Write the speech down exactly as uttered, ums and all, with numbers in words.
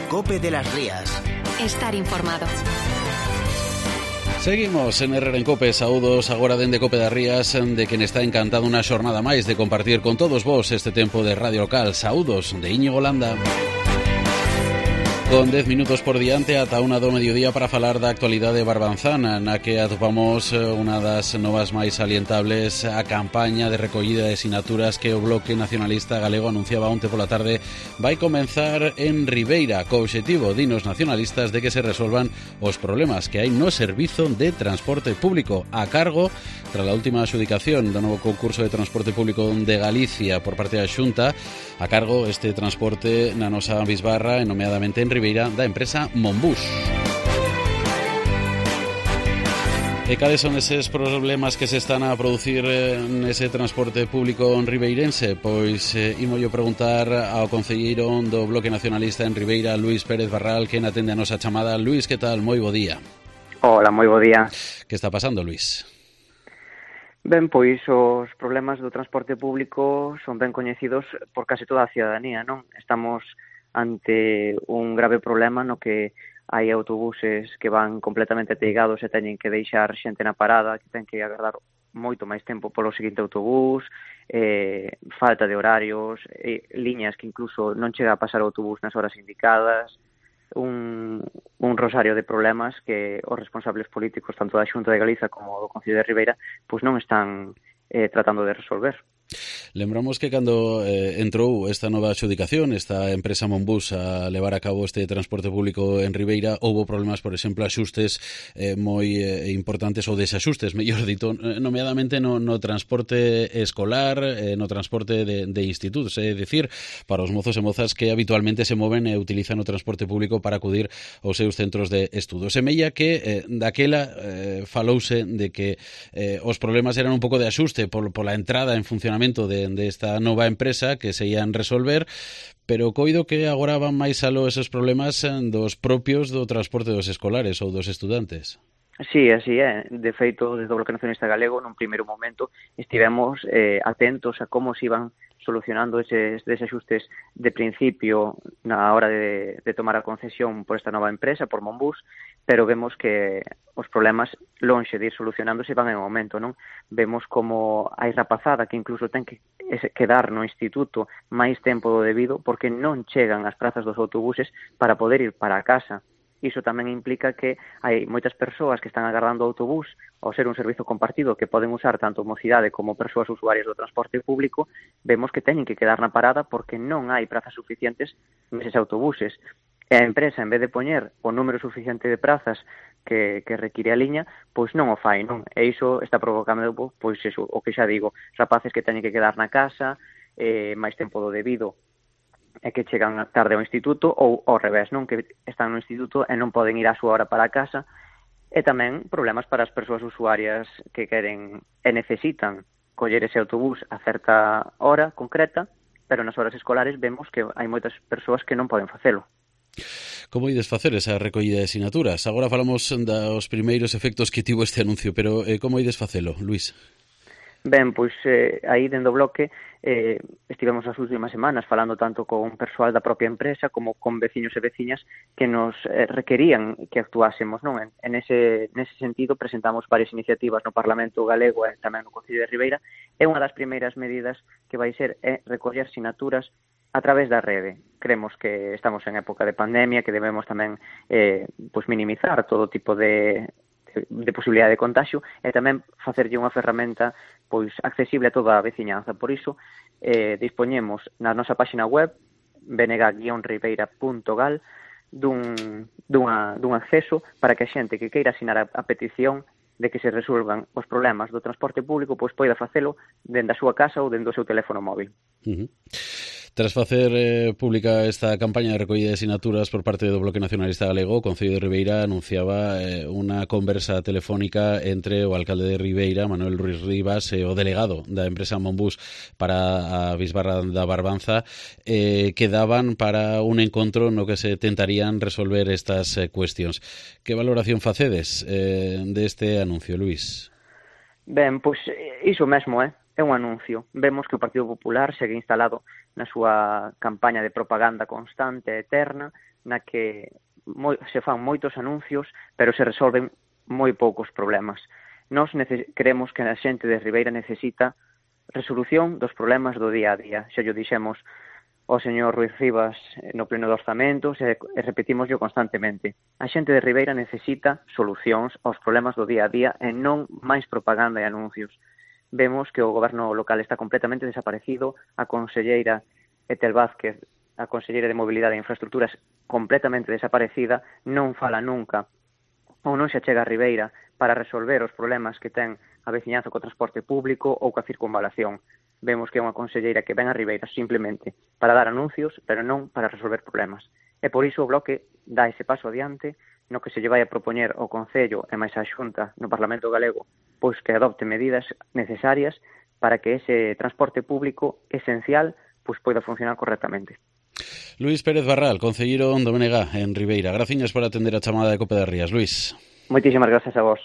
COPE de las Rías. Estar informado. Seguimos en Herrera en Cope, saúdos agora dende Cope das Rías, de quen está encantado unha xornada máis de compartir con todos vos este tempo de radio local. Saúdos de Íñigo Landa. Con dez minutos por diante ata unha do mediodía para falar da actualidade barbanzana, na que atopamos unha das novas máis salientables, a campaña de recollida de sinaturas que o Bloque Nacionalista Galego anunciaba onte pola tarde vai comenzar en Ribeira, co obxectivo, dinos nacionalistas, de que se resolvan os problemas que hai no servizo de transporte público a cargo, tras a última adxudicación do novo concurso de transporte público de Galicia por parte da Xunta, a cargo este transporte na nosa bisbarra, e nomeadamente en Ribeira, da empresa Monbús. E cales son eses problemas que se están a producir nese transporte público ribeirense? Pois eh, imollo preguntar ao concelleiro do Bloque Nacionalista en Ribeira, Luís Pérez Barral, que atende a nosa chamada. Luís, que tal? Moi bo día. Hola, moi bo día. Que está pasando, Luís? Ben, pois os problemas do transporte público son ben coñecidos por case toda a cidadanía, non? Estamos ante un grave problema no que hai autobuses que van completamente ateigados e teñen que deixar xente na parada, que ten que agardar moito máis tempo polo seguinte autobús, eh, falta de horarios, eh, liñas que incluso non chega a pasar o autobús nas horas indicadas, un, un rosario de problemas que os responsables políticos tanto da Xunta de Galiza como do Concello de Ribeira pois non están eh, tratando de resolver. Lembramos que cando eh, entrou esta nova adxudicación, esta empresa Monbús a levar a cabo este transporte público en Ribeira, houbo problemas, por exemplo, axustes eh, moi eh, importantes, ou desaxustes, mellor dito, nomeadamente no, no transporte escolar, eh, no transporte de, de institutos, é dicir, para os mozos e mozas que habitualmente se moven e utilizan o transporte público para acudir aos seus centros de estudo. Semella que eh, daquela eh, falouse de que eh, os problemas eran un pouco de axuste por, por la entrada en funcionamento de, de esta nova empresa que se ian resolver, pero coido que agora van máis aló esos problemas dos propios do transporte dos escolares ou dos estudantes. Sí, así é. De feito, desde o Bloque Nacionalista Galego, nun primeiro momento, estivemos eh, atentos a como se iban solucionando eses desaxustes de principio na hora de, de tomar a concesión por esta nova empresa, por Monbús, pero vemos que os problemas, lonxe de ir solucionándose, van en aumento, non? Vemos como hai rapazada que incluso ten que quedar no instituto máis tempo do debido porque non chegan as prazas dos autobuses para poder ir para a casa. Iso tamén implica que hai moitas persoas que están agardando o autobús ao ser un servizo compartido que poden usar tanto mocidade como persoas usuarias do transporte público, vemos que teñen que quedar na parada porque non hai prazas suficientes neses autobuses. E a empresa, en vez de poñer o número suficiente de prazas que, que require a liña, pois non o fai, non? E iso está provocando, pois eso, o que xa digo, rapaces que teñen que quedar na casa, eh, máis tempo do debido, e que chegan tarde ao instituto, ou ao revés, non, que están no instituto e non poden ir á súa hora para a casa, e tamén problemas para as persoas usuarias que queren e necesitan coller ese autobús a certa hora concreta, pero nas horas escolares vemos que hai moitas persoas que non poden facelo. Como ides facer esa recollida de sinaturas? Agora falamos dos primeiros efectos que tivo este anuncio, pero eh, como ides facelo, Luís? Ben, pois eh, aí dentro do bloque eh, estivemos as últimas semanas falando tanto con persoal da propia empresa como con veciños e veciñas que nos eh, requerían que actuásemos, non? En, en ese, nese sentido presentamos varias iniciativas no Parlamento Galego e tamén no Concello de Ribeira, e unha das primeiras medidas que vai ser é recoller sinaturas a través da rede. Creemos que estamos en época de pandemia, que debemos tamén eh, pois minimizar todo tipo de de posibilidade de contagio e tamén facerlle unha ferramenta pois accesible a toda a veciñanza. Por iso, eh, dispoñemos na nosa página web b n g guion ribeira punto gal dun, dunha, dun acceso para que a xente que queira asinar a, a petición de que se resolvan os problemas do transporte público pois poida facelo dende a súa casa ou dende o seu teléfono móvil. Uh-huh. Tras facer eh, pública esta campaña de recollida de sinaturas por parte do Bloque Nacionalista Galego, o Concello de Ribeira anunciaba eh, unha conversa telefónica entre o alcalde de Ribeira, Manuel Ruiz Rivas, e o delegado da empresa Monbús para a bisbarra da Barbanza, eh, que daban para un encontro no que se tentarían resolver estas eh, cuestións. Que valoración facedes eh, deste anuncio, Luís? Ben, pois iso mesmo, eh? é un anuncio. Vemos que o Partido Popular segue instalado na súa campaña de propaganda constante e eterna, na que moi, se fan moitos anuncios, pero se resolven moi poucos problemas. Nós creemos que a xente de Ribeira necesita resolución dos problemas do día a día. Xa yo dixemos ao señor Ruiz Rivas no pleno de orzamentos e, e repetímoslo constantemente. A xente de Ribeira necesita solucións aos problemas do día a día e non máis propaganda e anuncios. Vemos que o goberno local está completamente desaparecido, a conselleira Etel Vázquez, a conselleira de Mobilidade e Infraestructuras, completamente desaparecida, non fala nunca ou non se achega a Ribeira para resolver os problemas que ten a veciñanza co transporte público ou coa circunvalación. Vemos que é unha conselleira que ven a Ribeira simplemente para dar anuncios, pero non para resolver problemas. E por iso o Bloque dá ese paso adiante no que se lle vai a propoñer ao Concello e máis a Xunta no Parlamento Galego, pois que adopte medidas necesarias para que ese transporte público esencial pois poida funcionar correctamente. Luís Pérez Barral, concelleiro do B N G en Ribeira. Graciñas por atender a chamada de Cope das Rías, Luís. Moitísimas grazas a vos.